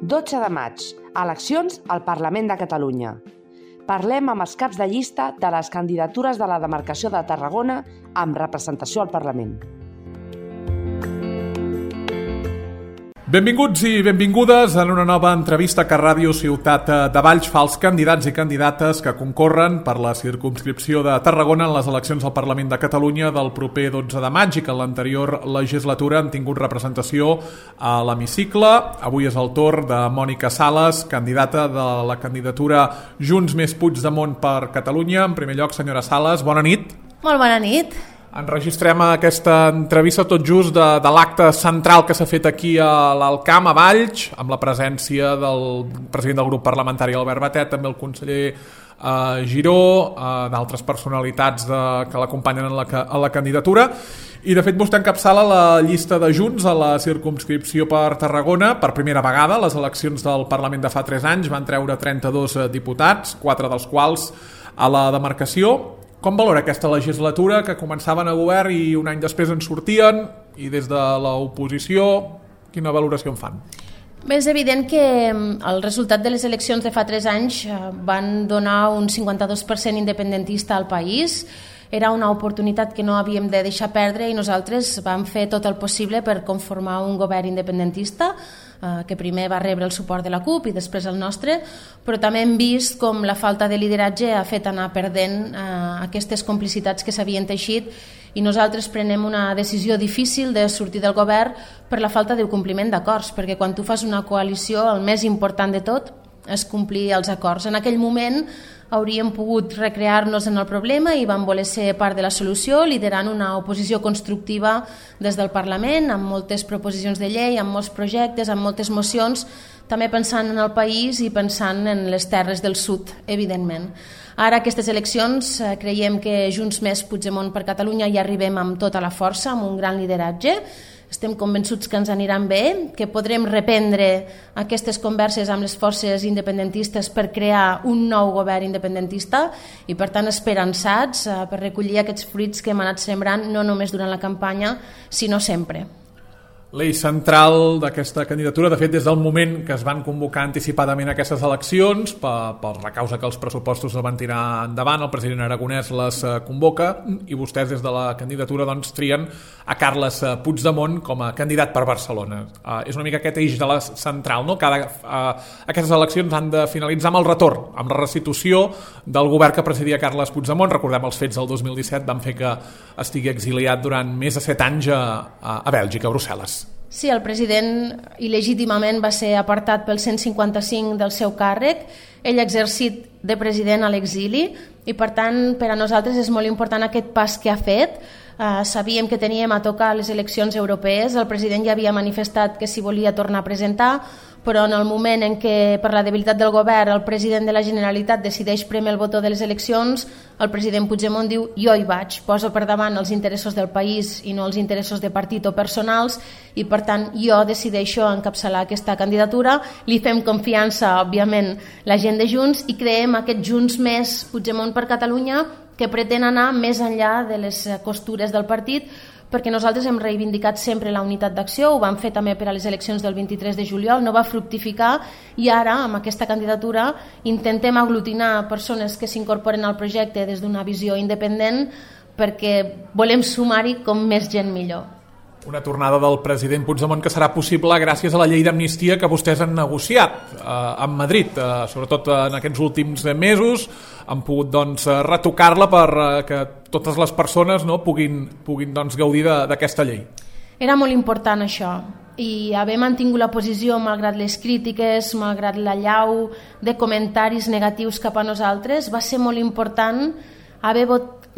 12 de maig, eleccions al Parlament de Catalunya. Parlem amb els caps de llista de les candidatures de la demarcació de Tarragona amb representació al Parlament. Benvinguts i benvingudes en una nova entrevista que Ràdio Ciutat de Valls fa als candidats i candidates que concorren per la circumscripció de Tarragona en les eleccions al Parlament de Catalunya del proper 12 de maig i que en l'anterior legislatura han tingut representació a l'hemicicle. Avui és el torn de Mònica Sales, candidata de la candidatura Junts més Puigdemont per Catalunya. En primer lloc, senyora Sales, bona nit. Molt bona nit. Enregistrem aquesta entrevista tot just de l'acte central que s'ha fet aquí a l'Alcamp, a Valls, amb la presència del president del grup parlamentari Albert Batet, també el conseller Giró, d'altres personalitats que l'acompanyen a la candidatura. I de fet vostè encapçala la llista de Junts a la circumscripció per Tarragona per primera vegada. Les eleccions del Parlament de fa 3 anys van treure 32 diputats, 4 dels quals a la demarcació. Com valora aquesta legislatura que començaven a govern i un any després en sortien, i des de l'oposició quina valoració en fan? Bé, és evident que el resultat de les eleccions de fa 3 anys van donar un 52% independentista al país. Era una oportunitat que no havíem de deixar perdre i nosaltres vam fer tot el possible per conformar un govern independentista que primer va rebre el suport de la CUP i després el nostre, però també hem vist com la falta de lideratge ha fet anar perdent aquestes complicitats que s'havien teixit i nosaltres prenem una decisió difícil de sortir del govern per la falta de compliment d'acords, perquè quan tu fas una coalició el més important de tot és complir els acords. En aquell moment hauríem pogut recrear-nos en el problema i vam voler ser part de la solució, liderant una oposició constructiva des del Parlament, amb moltes proposicions de llei, amb molts projectes, amb moltes mocions, també pensant en el país i pensant en les terres del sud, evidentment. Ara, aquestes eleccions, creiem que Junts més Puigdemont per Catalunya hi arribem amb tota la força, amb un gran lideratge. Estem convençuts que ens aniran bé, que podrem reprendre aquestes converses amb les forces independentistes per crear un nou govern independentista i, per tant, esperançats per recollir aquests fruits que hem anat sembrant no només durant la campanya, sinó sempre. L'eix central d'aquesta candidatura, de fet, des del moment que es van convocar anticipadament aquestes eleccions, per la causa que els pressupostos es van tirar endavant, el president Aragonès les convoca i vostès des de la candidatura doncs, trien a Carles Puigdemont com a candidat per Barcelona. És una mica aquest eix de la central, no? Aquestes eleccions han de finalitzar amb el retorn, amb la restitució del govern que precedia Carles Puigdemont. Recordem els fets del 2017, van fer que estigui exiliat durant més de 7 anys a Bèlgica, a Brussel·les. Sí, el president il·legítimament va ser apartat pel 155 del seu càrrec. Ell ha exercit de president a l'exili i, per tant, per a nosaltres és molt important aquest pas que ha fet. Sabíem que teníem a tocar les eleccions europees. El president ja havia manifestat que s'hi volia tornar a presentar, però en el moment en què, per la debilitat del govern, el president de la Generalitat decideix prémer el botó de les eleccions, el president Puigdemont diu jo hi vaig, poso per davant els interessos del país i no els interessos de partit o personals i, per tant, jo decideixo encapçalar aquesta candidatura. Li fem confiança, òbviament, la gent de Junts i creem aquest Junts més Puigdemont per Catalunya que pretén anar més enllà de les costures del partit, perquè nosaltres hem reivindicat sempre la unitat d'acció, ho vam fer també per a les eleccions del 23 de juliol, no va fructificar i ara, amb aquesta candidatura, intentem aglutinar persones que s'incorporen al projecte des d'una visió independent perquè volem sumar-hi com més gent millor. Una tornada del president Puigdemont que serà possible gràcies a la llei d'amnistia que vostès han negociat amb Madrid, sobretot en aquests últims mesos han pogut retocar-la perquè totes les persones puguin gaudir d'aquesta llei. Era molt important això i haver mantingut la posició malgrat les crítiques, malgrat l'allau de comentaris negatius cap a nosaltres, va ser molt important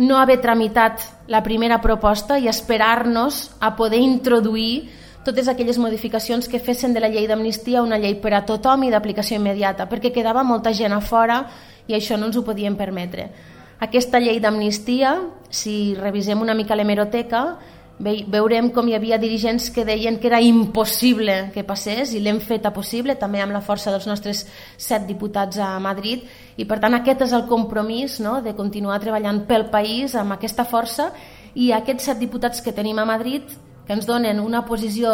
no haver tramitat la primera proposta i esperar-nos a poder introduir totes aquelles modificacions que fessin de la llei d'amnistia una llei per a tothom i d'aplicació immediata, perquè quedava molta gent a fora i això no ens ho podíem permetre. Aquesta llei d'amnistia, si revisem una mica l'hemeroteca, veurem com hi havia dirigents que deien que era impossible que passés i l'hem feta possible, també amb la força dels nostres 7 diputats a Madrid i per tant aquest és el compromís, no?, de continuar treballant pel país amb aquesta força i aquests 7 diputats que tenim a Madrid que ens donen una posició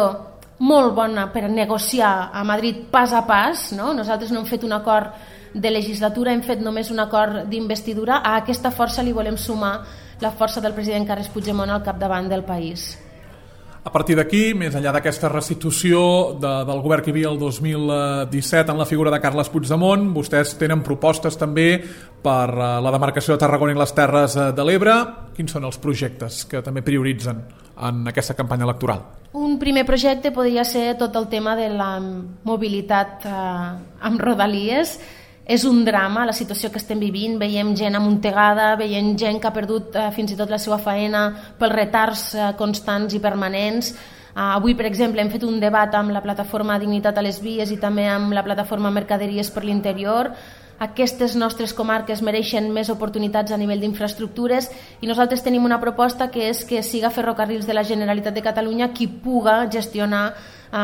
molt bona per negociar a Madrid pas a pas, no? Nosaltres no hem fet un acord de legislatura, hem fet només un acord d'investidura. A aquesta força li volem sumar la força del president Carles Puigdemont al capdavant del país. A partir d'aquí, més enllà d'aquesta restitució del govern que hi havia el 2017 en la figura de Carles Puigdemont, vostès tenen propostes també per la demarcació de Tarragona i les Terres de l'Ebre. Quins són els projectes que també prioritzen en aquesta campanya electoral? Un primer projecte podria ser tot el tema de la mobilitat amb rodalies. És un drama la situació que estem vivint, veiem gent amuntegada, veiem gent que ha perdut fins i tot la seva feina pels retards constants i permanents. Avui, per exemple, hem fet un debat amb la plataforma Dignitat a les Vies i també amb la plataforma Mercaderies per l'Interior. Aquestes nostres comarques mereixen més oportunitats a nivell d'infraestructures i nosaltres tenim una proposta que és que siga Ferrocarrils de la Generalitat de Catalunya qui puga gestionar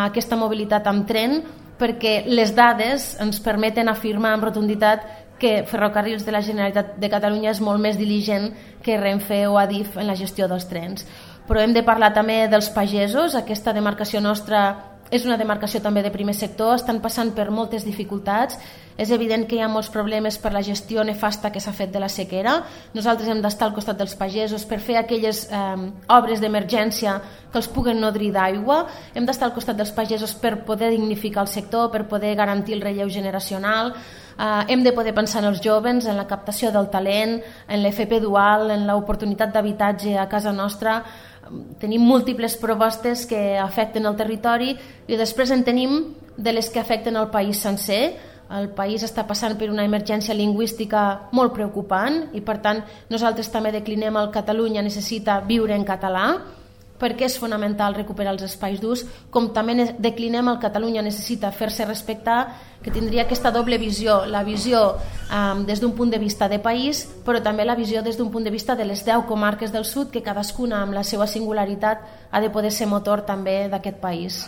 aquesta mobilitat amb tren, perquè les dades ens permeten afirmar amb rotunditat que Ferrocarrils de la Generalitat de Catalunya és molt més diligent que Renfe o Adif en la gestió dels trens. Però hem de parlar també dels pagesos. Aquesta demarcació nostra és una demarcació també de primer sector, estan passant per moltes dificultats. És evident que hi ha molts problemes per la gestió nefasta que s'ha fet de la sequera. Nosaltres hem d'estar al costat dels pagesos per fer aquelles obres d'emergència que els puguen nodrir d'aigua. Hem d'estar al costat dels pagesos per poder dignificar el sector, per poder garantir el relleu generacional. Hem de poder pensar en els joves, en la captació del talent, en l'FP dual, en l'oportunitat d'habitatge a casa nostra. Tenim múltiples propostes que afecten el territori i després en tenim de les que afecten el país sencer. El país està passant per una emergència lingüística molt preocupant i per tant nosaltres també declinem el Catalunya necessita viure en català, perquè és fonamental recuperar els espais d'ús, com també declinem el Catalunya necessita fer-se respectar, que tindria aquesta doble visió, la visió des d'un punt de vista de país, però també la visió des d'un punt de vista de les 10 comarques del sud, que cadascuna amb la seva singularitat ha de poder ser motor també d'aquest país.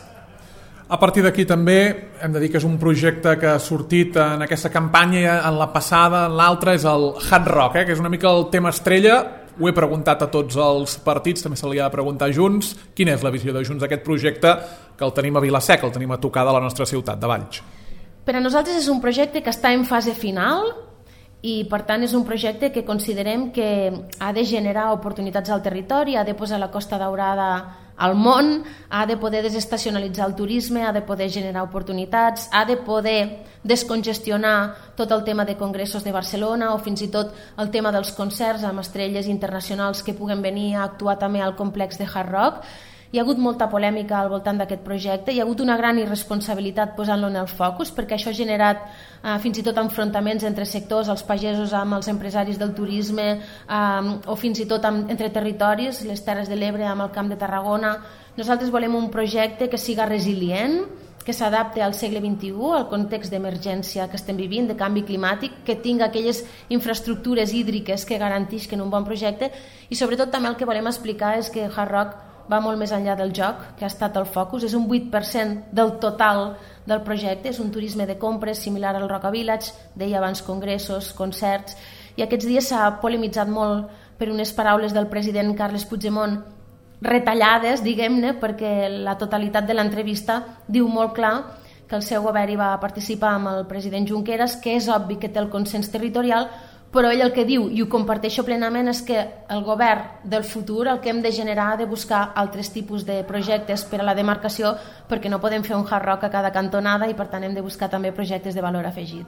A partir d'aquí també hem de dir que és un projecte que ha sortit en aquesta campanya, en la passada, en l'altra, és el Hard Rock, que és una mica el tema estrella. Ho he preguntat a tots els partits, també se li ha de preguntar a Junts. Quina és la visió de Junts d'aquest projecte, que el tenim a Vila-seca, el tenim a tocar de la nostra ciutat, de Valls? Per a nosaltres és un projecte que està en fase final i per tant és un projecte que considerem que ha de generar oportunitats al territori, ha de posar la Costa Daurada al món, ha de poder desestacionalitzar el turisme, ha de poder generar oportunitats, ha de poder descongestionar tot el tema de congressos de Barcelona o fins i tot el tema dels concerts amb estrelles internacionals que puguen venir a actuar també al complex de Hard Rock. Hi ha hagut molta polèmica al voltant d'aquest projecte, hi ha hagut una gran irresponsabilitat posant-lo en el focus, perquè això ha generat fins i tot enfrontaments entre sectors, els pagesos amb els empresaris del turisme o fins i tot entre territoris, les Terres de l'Ebre amb el Camp de Tarragona. Nosaltres volem un projecte que siga resilient, que s'adapti al segle XXI, al context d'emergència que estem vivint, de canvi climàtic, que tinga aquelles infraestructures hídriques que garantisquen un bon projecte i sobretot també el que volem explicar és que Hard Rock va molt més enllà del joc, que ha estat el focus, és un 8% del total del projecte, és un turisme de compres similar al Roca Village, deia abans congressos, concerts, i aquests dies s'ha polemitzat molt per unes paraules del president Carles Puigdemont retallades, diguem-ne, perquè la totalitat de l'entrevista diu molt clar que el seu govern hi va participar amb el president Junqueras, que és obvi que té el consens territorial, però ell el que diu, i ho comparteixo plenament, és que el govern del futur el que hem de generar ha de buscar altres tipus de projectes per a la demarcació, perquè no podem fer un Hard Rock a cada cantonada i per tant hem de buscar també projectes de valor afegit.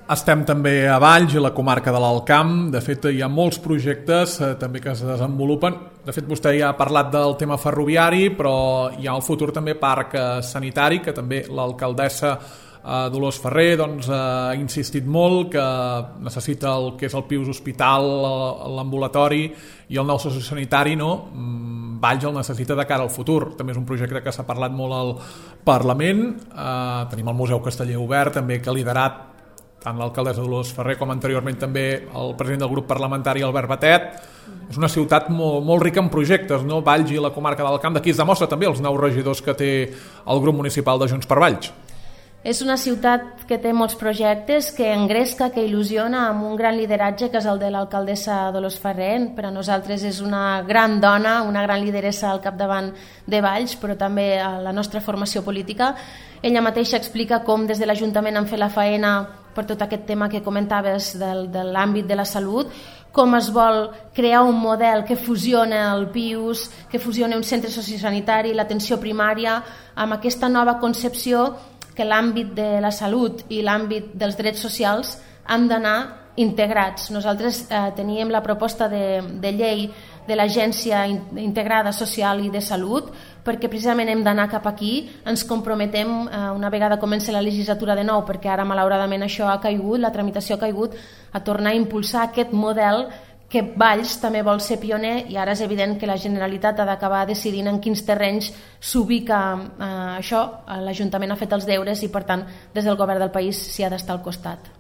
Estem també a Valls i la comarca de l'Alt Camp. De fet, hi ha molts projectes també que es desenvolupen. De fet, vostè ja ha parlat del tema ferroviari, però hi ha al futur també parc sanitari, que també l'alcaldessa Dolors Ferrer ha insistit molt que necessita el que és el Pius Hospital, l'ambulatori i el nou sociosanitari, Valls el necessita de cara al futur. També és un projecte que s'ha parlat molt al Parlament. Tenim el Museu Casteller obert, també que ha liderat tant l'alcaldessa Dolors Ferrer com anteriorment també el president del grup parlamentari Albert Batet. És una ciutat molt rica en projectes, Valls i la comarca del Camp. D'aquí es demostra també els 9 regidors que té el grup municipal de Junts per Valls. És una ciutat que té molts projectes, que engresca, que il·lusiona, amb un gran lideratge que és el de l'alcaldessa Dolors Ferrer. Per a nosaltres és una gran dona, una gran lideressa al capdavant de Valls, però també a la nostra formació política. Ella mateixa explica com des de l'Ajuntament han fet la faena per tot aquest tema que comentaves de l'àmbit de la salut, com es vol crear un model que fusiona el PIUS, que fusiona un centre sociosanitari, l'atenció primària, amb aquesta nova concepció que l'àmbit de la salut i l'àmbit dels drets socials han d'anar integrats. Nosaltres teníem la proposta de llei de l'Agència Integrada Social i de Salut perquè precisament hem d'anar cap aquí, ens comprometem una vegada comença la legislatura de nou, perquè ara malauradament això ha caigut, la tramitació ha caigut, a tornar a impulsar aquest model que Valls també vol ser pioner i ara és evident que la Generalitat ha d'acabar decidint en quins terrenys s'ubica això. L'Ajuntament ha fet els deures i per tant des del govern del país s'hi ha d'estar al costat.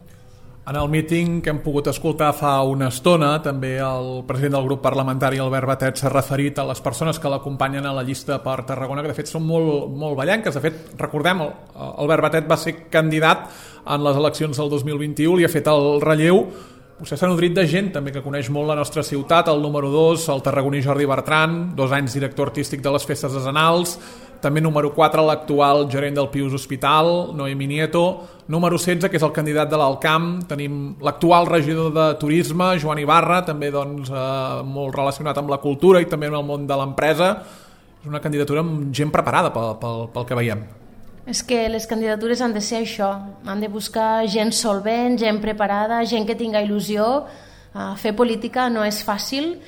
En el míting que hem pogut escoltar fa una estona, també el president del grup parlamentari, Albert Batet, s'ha referit a les persones que l'acompanyen a la llista per Tarragona, que de fet són molt ballenques. De fet, recordem, Albert Batet va ser candidat en les eleccions del 2021, li ha fet el relleu. Vostè s'ha nodrit de gent també que coneix molt la nostra ciutat, el número 2, el tarragoní Jordi Bertran, 2 anys director artístic de les festes decenals, també número 4, l'actual gerent del Pius Hospital, Noemi Nieto, número 16, que és el candidat de l'Alcamp, tenim l'actual regidor de Turisme, Joan Ibarra, també molt relacionat amb la cultura i també amb el món de l'empresa. És una candidatura amb gent preparada pel que veiem. És que les candidatures han de ser això, han de buscar gent solvent, gent preparada, gent que tinga il·lusió. Fer política no és fàcil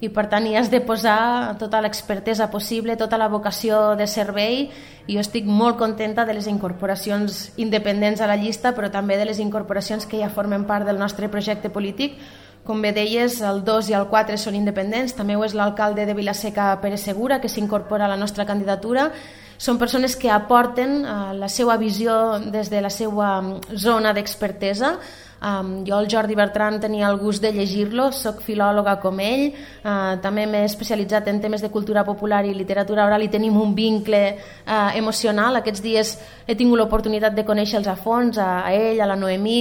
i per tant hi has de posar tota l'expertesa possible, tota la vocació de servei, i jo estic molt contenta de les incorporacions independents a la llista, però també de les incorporacions que ja formen part del nostre projecte polític. Com bé deies, el 2 i el 4 són independents, també ho és l'alcalde de Vila-seca, Pere Segura, que s'incorpora a la nostra candidatura. Són persones que aporten la seva visió des de la seva zona d'expertesa. Jo, el Jordi Bertran, tenia el gust de llegir-lo, soc filòloga com ell, també m'he especialitzat en temes de cultura popular i literatura oral i tenim un vincle emocional. Aquests dies he tingut l'oportunitat de conèixer-los a fons, a ell, a la Noemí,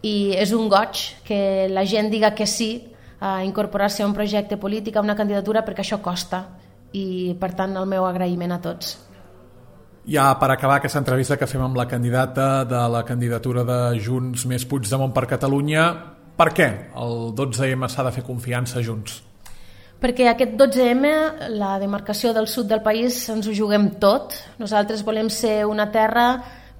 i és un goig que la gent diga que sí a incorporar-se a un projecte polític, a una candidatura, perquè això costa, i per tant el meu agraïment a tots. Ja per acabar aquesta entrevista que fem amb la candidata de la candidatura de Junts més Puigdemont per Catalunya, per què el 12M s'ha de fer confiança a Junts? Perquè aquest 12M, la demarcació del sud del país, ens ho juguem tot. Nosaltres volem ser una terra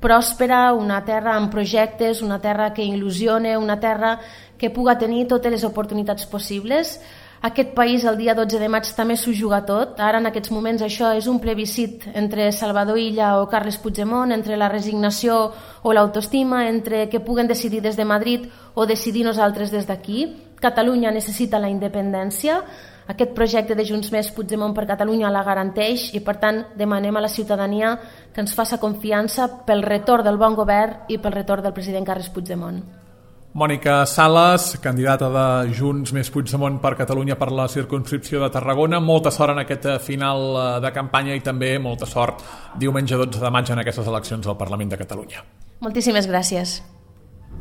pròspera, una terra amb projectes, una terra que il·lusione, una terra que puga tenir totes les oportunitats possibles. Aquest país el dia 12 de maig també s'ho juga tot. Ara en aquests moments això és un plebiscit entre Salvador Illa o Carles Puigdemont, entre la resignació o l'autoestima, entre que puguen decidir des de Madrid o decidir nosaltres des d'aquí. Catalunya necessita la independència. Aquest projecte de Junts més Puigdemont per Catalunya la garanteix i per tant demanem a la ciutadania que ens faça confiança pel retorn del bon govern i pel retorn del president Carles Puigdemont. Mònica Sales, candidata de Junts més Puigdemont per Catalunya per la circumscripció de Tarragona. Molta sort en aquest final de campanya i també molta sort diumenge 12 de maig en aquestes eleccions al Parlament de Catalunya. Moltíssimes gràcies.